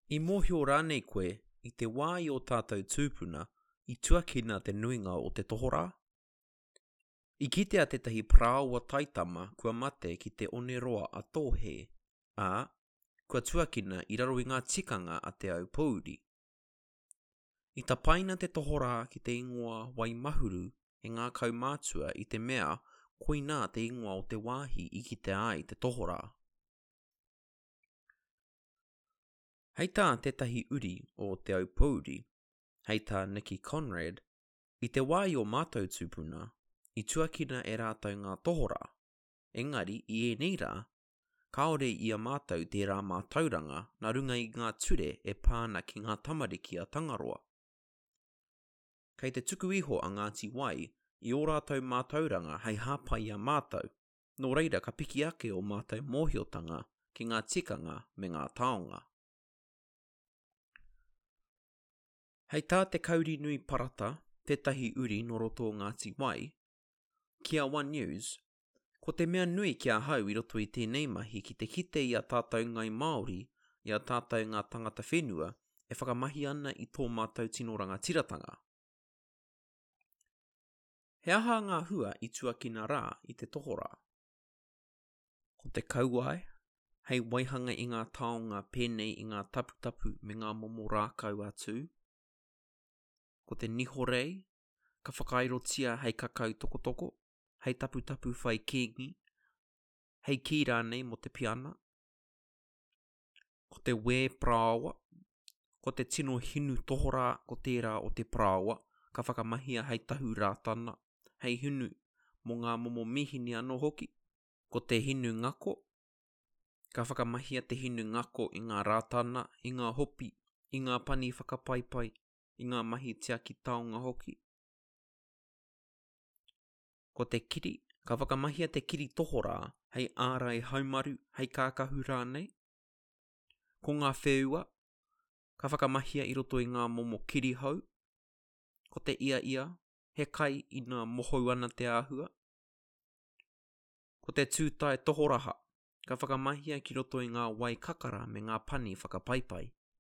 I mōhio rānei koe, i te wā i ō tātou tūpuna, i tuakina te nuinga o te tohorā? I kitea tētahi parāoa taitama kua mate ki te Oneroa a Tōhē, ā, kua tuakina i raro i ngā tikanga a Te Aupōuri. I tapaina te tohorā ki te ingoa Waimahuru e ngā kaumātua i te mea koinā te ingoa o te wāhi i kitea ai te tohorā. Hei tā tētahi uri o Te Aupōuri, hei tā Nicky Conrad, I te wā i ō mātou tūpuna, i tuakina e rātou ngā tohorā, engari i ēnei rā, kāore i a mātou tērā mātauranga nā runga i ngā ture e pā ana ki ngā tamariki a Tangaroa. Kei te tuku iho a Ngāti Wai i ō rātou mātauranga hei hāpai i a mātou, nō reira ka piki ake ō mātou mōhiotanga ki ngā tikanga me ngā taonga. Hei tā Te Kaurinui Parata, tētahi uri nō roto o Ngāti Wai, ki a One News, Ko te mea nui ki ahau i roto i tēnei mahi ki te kite i a tātou Ngai Māori, i a tātou ngā tangata whenua e whakamahi ana i tō mātou tino rangatiratanga. He aha ngā hua i tuakina rā i te tohorā? Ko te kauae, hei waihanga i ngā taonga pēnei i ngā taputapu me ngā momo rākau a Tū. Ko te nihorei, ka whakairotia hei kakau tokotoko, hei taputapu whai kīngi, hei kī rānei mō te piana. Ko te wē parāoa, ko te tino hinu tohorā ko tērā o te parāoa ka whakamahia hei tahu rātana, hei hinu mō ngā momo mīhini anō hoki. Ko te hinu ngako, ka whakamahia te hinu ngako i ngā rātana, i ngā hopi, i ngā pani whakapaipai, i ngā mahi tiaki taonga hoki. Ko te kiri, ka whakamahia te kiri tohorā hei ārai haumaru, hei kākahu rānei. Ko ngā wheua, ka whakamahia i roto i ngā momo kirihou. Ko te iaia, he kai ina mohou ana te āhua. Ko te tūtae tohoraha, ka whakamahia ki roto i ngā wai kakara me ngā pani whakapaipai.